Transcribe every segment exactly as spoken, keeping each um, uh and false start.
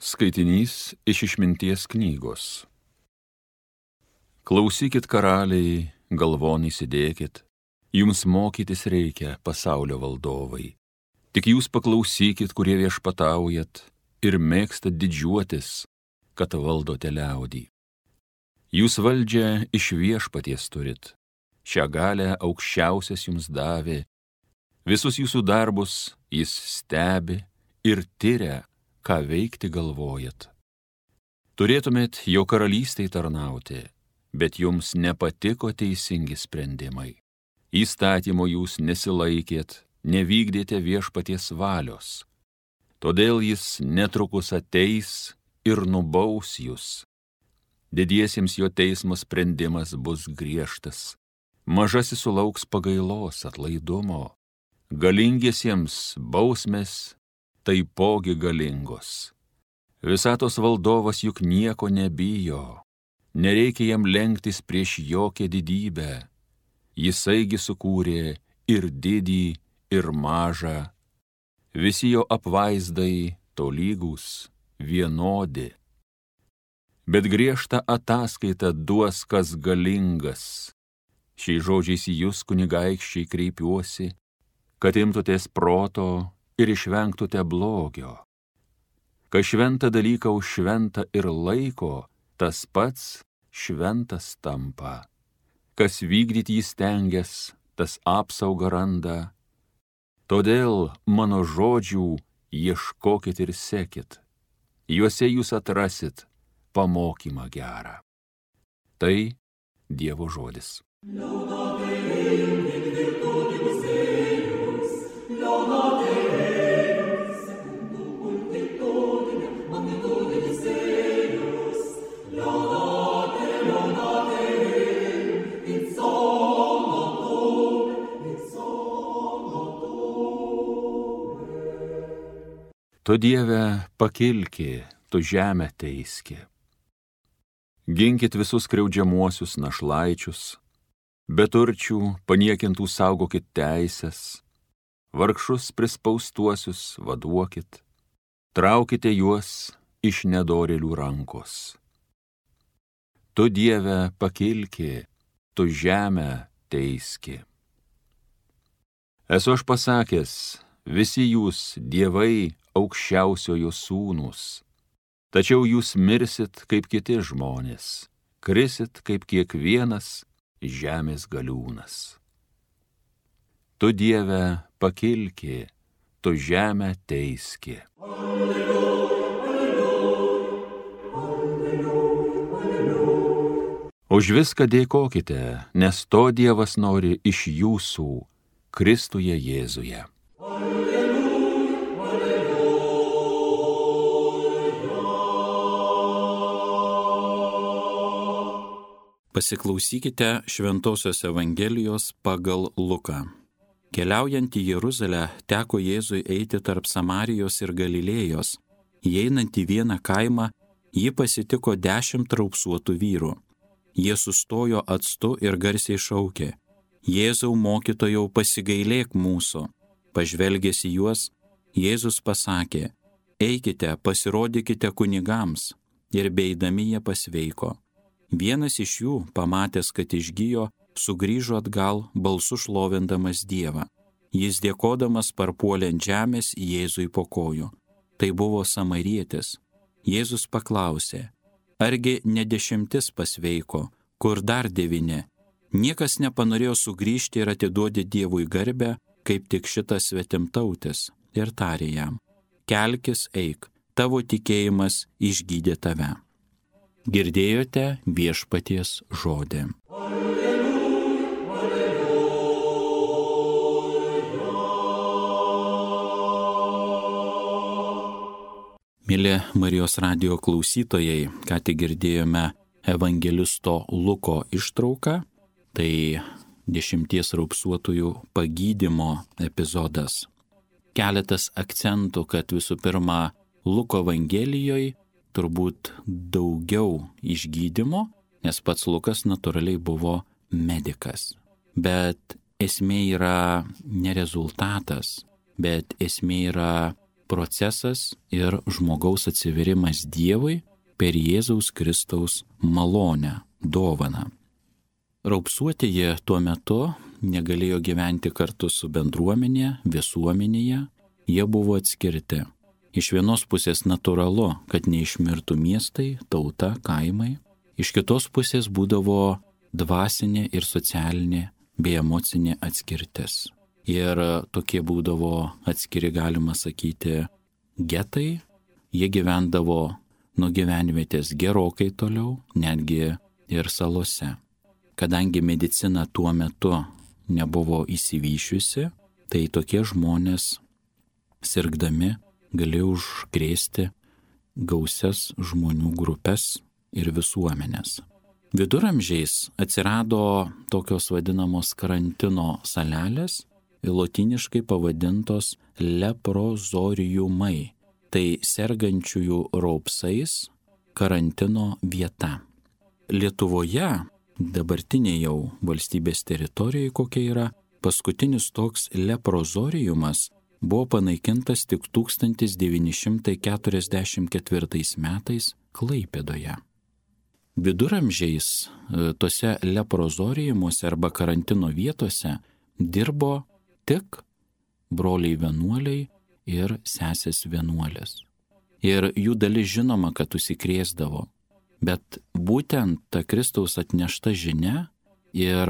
Skaitinys iš Išminties knygos. Klausykit, karaliai, galvon įsidėkit, jums mokytis reikia, pasaulio valdovai. Tik jūs paklausykit, kurie viešpataujat ir mėgstat didžiuotis, kad valdote liaudį. Jūs valdžią iš viešpaties turit, šią galę aukščiausias jums davė, visus jūsų darbus jis stebi ir tyria, ką veikti galvojat. Turėtumėt jo karalystei tarnauti, bet jums nepatiko teisingi sprendimai. Įstatymo jūs nesilaikėt, nevykdėte viešpaties valios. Todėl jis netrukus ateis ir nubaus jūs. Didiesiems jo teismo sprendimas bus griežtas. Mažasis sulauks pagailos, atlaidumo. Galingiesiems bausmės taipogi galingos. Visatos valdovas juk nieko nebijo. Nereikia jam lenktis prieš jokią didybę. Jisaigi sukūrė ir didį, ir mažą. Visi jo apvaizdai tolygūs, vienodi. Bet griežtą ataskaitą duos kas galingas. Šiais žodžiais į jūs, kunigaikščiai, kreipiuosi, kad imtutės proto ir išvengtute blogio. Kas šventą dalyką už šventą ir laiko, tas pats šventas tampa. Kas vykdyti jį stengias, tas apsaugą randa. Todėl mano žodžių ieškokit ir sekit. Juose jūs atrasit pamokymą gerą. Tai Dievo žodis. Tu Dieve pakilki, tu žemę teiski. Ginkit visus skriaudžiamuosius našlaičius, beturčių paniekintų saugokit teisės, vargšus prispaustuosius vaduokit, traukite juos iš nedorėlių rankos. Tu Dieve pakilki, tu žemę teiski. Esu aš pasakęs, visi jūs dievai aukščiausiojo sūnūs, tačiau jūs mirsit kaip kiti žmonės, krisit kaip kiekvienas žemės galiūnas. Tu Dieve pakilki, tu žemę teiski. Už viską dėkokite, nes to Dievas nori iš jūsų, Kristuje Jėzuje. Pasiklausykite Šventosios Evangelijos pagal Luką. Keliaujant į Jeruzalę, teko Jėzui eiti tarp Samarijos ir Galilėjos. Įeinant į vieną kaimą, jį pasitiko dešimt raupsuotų vyrų. Jie sustojo atstu ir garsiai šaukė: Jėzau, mokytojau, pasigailėk mūsų. Pažvelgęs į juos, Jėzus pasakė: Eikite, pasirodykite kunigams. Ir beeidami jie pasveiko. Vienas iš jų, pamatęs, kad išgijo, sugrįžo atgal, balsu šlovindamas Dievą. Jis dėkodamas parpuolė ant žemės Jėzui po kojų. Tai buvo samarietis. Jėzus paklausė: Argi ne dešimtis pasveiko, kur dar devyni? Niekas nepanorėjo sugrįžti ir atiduoti Dievui garbę, kaip tik šitas svetimtautis, ir tarė jam: Kelkis, eik, tavo tikėjimas išgydė tave. Girdėjote viešpaties žodį. Mėly Marijos radijo klausytojai, ką tik girdėjome evangelisto Luko ištrauką, tai dešimties raupsuotųjų pagydymo epizodas. Keletas akcentų, kad visų pirma Luko evangelijoje turbūt daugiau išgydymo, nes pats Lukas natūraliai buvo medikas. Bet esmė yra ne rezultatas, bet esmė yra procesas ir žmogaus atsiverimas Dievui per Jėzaus Kristaus malonę, dovaną. Raupsuotieji tuo metu negalėjo gyventi kartu su bendruomenė, visuomenėje, jie buvo atskirti. Iš vienos pusės natūralu, kad neišmirtų miestai, tauta, kaimai, iš kitos pusės būdavo dvasinė ir socialinė bei emocinė atskirtis. Ir tokie būdavo atskiri, galima sakyti, getai, jie gyvendavo nuo gyvenvietės gerokai toliau, netgi ir salose. Kadangi medicina tuo metu nebuvo įsivyšiusi, tai tokie žmonės sirgdami galėjo užkrėsti gausias žmonių grupės ir visuomenės. Viduramžiais atsirado tokios vadinamos karantino salelės, lotyniškai pavadintos leprozoriumai, tai sergančiųjų raupsais karantino vieta. Lietuvoje, dabartinė jau valstybės teritorijoje kokia yra, paskutinis toks leprozoriumas buvo panaikintas tik tūkstantis devyni šimtai keturiasdešimt ketvirtais metais Klaipėdoje. Viduramžiais tose leprozoriumuose arba karantino vietose dirbo tik broliai vienuoliai ir sesės vienuolės. Ir jų dalis žinoma, kad užsikrėsdavo, bet būtent ta Kristaus atnešta žinia ir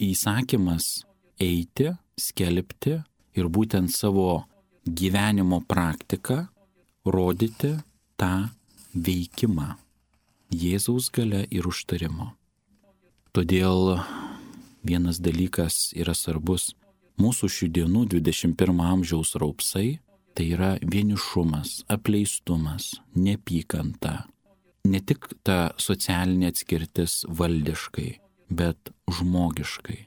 įsakymas eiti, skelbti ir būtent savo gyvenimo praktiką rodyti tą veikimą Jėzaus galia ir užtarimo. Todėl vienas dalykas yra svarbus. Mūsų šių dienų dvidešimt pirmo amžiaus raupsai tai yra vienišumas, apleistumas, neapykanta. Ne tik ta socialinė atskirtis valdiškai, bet žmogiškai.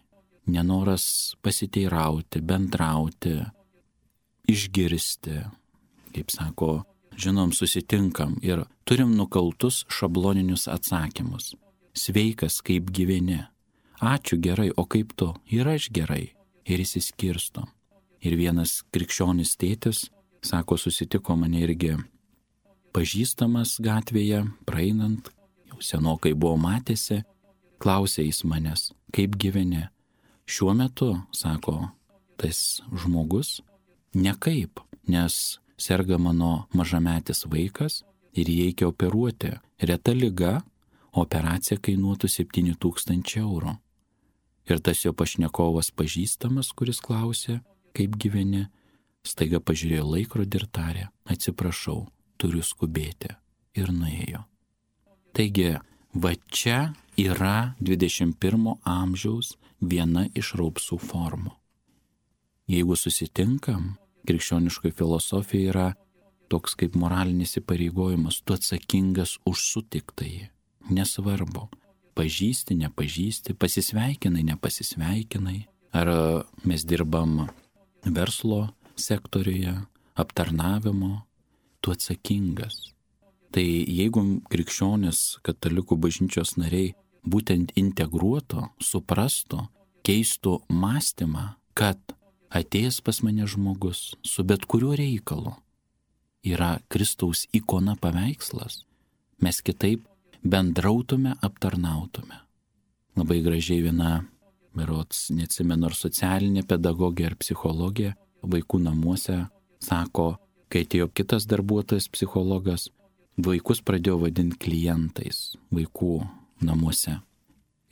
Nenoras pasiteirauti, bendrauti, išgirsti, kaip sako, žinom, susitinkam ir turim nukaltus šabloninius atsakymus. Sveikas, kaip gyveni. Ačiū, gerai, o kaip tu? Ir aš gerai. Ir įsiskirstom. Ir vienas krikščionis tėtis, sako, susitiko mane irgi pažįstamas gatvėje, praeinant, jau senokai buvo matėsi, klausė jis manęs, kaip gyveni. Šiuo metu, sako, tas žmogus, nekaip, nes serga mano mažametis vaikas ir jį reikia operuoti. Reta liga, operacija kainuotų septyni tūkstančiai eurų. Ir tas jo pašnekovas pažįstamas, kuris klausė, kaip gyveni, staiga pažiūrėjo laikrodį ir tarė, atsiprašau, turiu skubėti. Ir nuėjo. Taigi, va čia yra dvidešimt pirmo amžiaus viena iš raupsų formų. Jeigu susitinkam, krikščioniškoje filosofijoje yra toks kaip moralinis įpareigojimas, tu atsakingas už sutiktąjį. Nesvarbu, pažįsti, nepažįsti, pasisveikinai, nepasisveikinai, ar mes dirbam verslo sektoriuje, aptarnavimo, tu atsakingas. Tai jeigu krikščionis, katalikų bažnyčios nariai būtent integruotų, suprastų, keistų mąstymą, kad atėjęs pas mane žmogus su bet kuriuo reikalu yra Kristaus ikona paveikslas, mes kitaip bendrautume, aptarnautume. Labai gražiai viena, berods, neatsimenu, ar socialinė pedagogė ar psichologė vaikų namuose sako, kai atėjo kitas darbuotojas psichologas, vaikus pradėjo vadinti klientais vaikų namuose.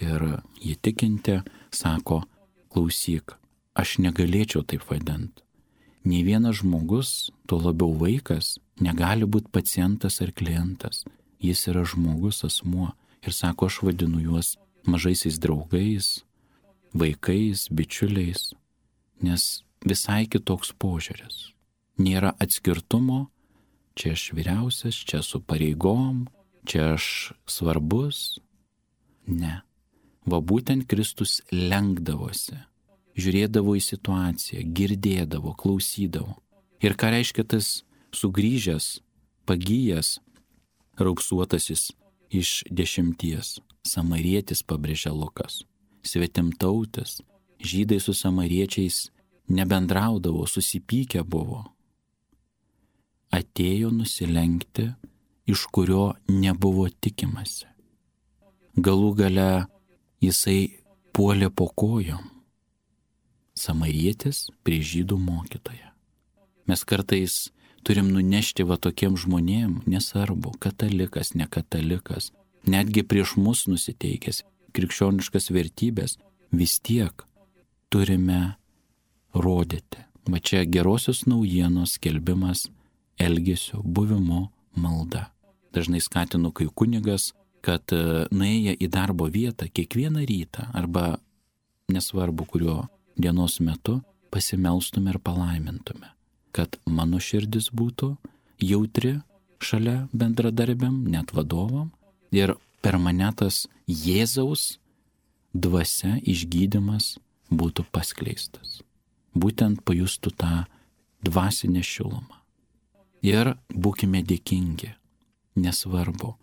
Ir jie tikinti sako, klausyk, aš negalėčiau taip vadinti. Nei vienas žmogus, tuo labiau vaikas, negali būti pacientas ar klientas. Jis yra žmogus, asmuo. Ir sako, aš vadinu juos mažaisiais draugais, vaikais, bičiuliais, nes visai kitoks požiūris. Nėra atskirtumo, čia aš vyriausias, čia su pareigom, čia aš svarbus. Ne. Va būtent Kristus lenkdavosi, žiūrėdavo į situaciją, girdėdavo, klausydavo. Ir ką reiškia tas sugrįžęs, pagyjęs, raupsuotasis iš dešimties? Samarietis, pabrėžia Lukas, svetimtautis, žydai su samariečiais nebendraudavo, susipykę buvo. atėjo nusilenkti, iš kurio nebuvo tikimasi. Galų gale jisai puolė po kojom. Samarietis prie žydų mokytoją. Mes kartais turim nunešti va tokiem žmonėm, nesvarbu, katalikas, ne katalikas, netgi prieš mus nusiteikęs, krikščioniškas vertybės, vis tiek turime rodyti. Va čia gerosios naujienos skelbimas elgesio, buvimo, malda. Dažnai skatinu, kai kunigas, kad nuėję į darbo vietą kiekvieną rytą arba nesvarbu kuriuo dienos metu pasimelstume ir palaimintume, kad mano širdis būtų jautri šalia bendradarbiam, net vadovam, ir per mane tas Jėzaus dvasia išgydymas būtų paskleistas. Būtent pajustų tą dvasinę šilumą. Ir būkime dėkingi, nesvarbu,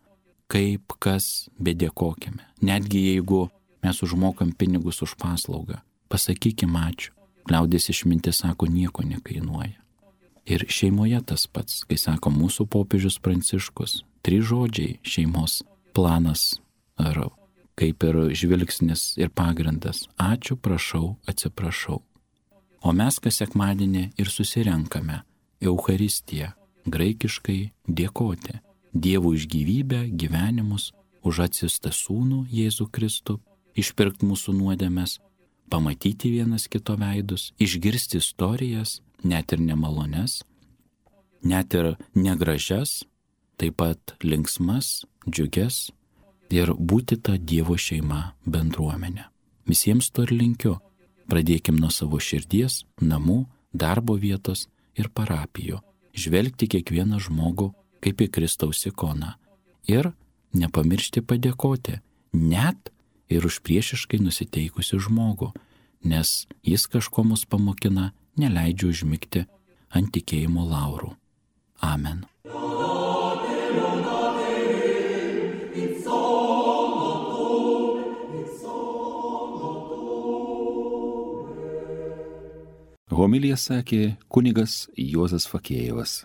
kaip kas, bedėkokime. Netgi jeigu mes užmokam pinigus už paslaugą, pasakykim ačiū. Liaudės išmintis sako, nieko nekainuoja. Ir šeimoje tas pats, kai sako mūsų popiežius Pranciškus, trys žodžiai šeimos planas ar kaip ir žvilgsnis ir pagrindas. Ačiū, prašau, atsiprašau. O mes kas sekmadienį ir susirenkame Eucharistiją, graikiškai dėkoti Dievui už gyvybę, gyvenimus, už atsiųstą sūnų Jėzų Kristų, išpirkt mūsų nuodėmes, pamatyti vienas kito veidus, išgirsti istorijas, net ir nemalones, net ir negražias, taip pat linksmas, džiugias ir būti ta Dievo šeima bendruomenė. Visiems to ir linkiu. Pradėkim nuo savo širdies, namų, darbo vietos ir parapijų. Žvelgti kiekvieną žmogų kaip į Kristaus ikoną. Ir nepamiršti padėkoti, net ir už priešiškai nusiteikusi žmogų, nes jis kažko mus pamokina, neleidžia užmigti ant tikėjimo laurų. Amen. Homiliją sakė kunigas Juozas Fakėjevas.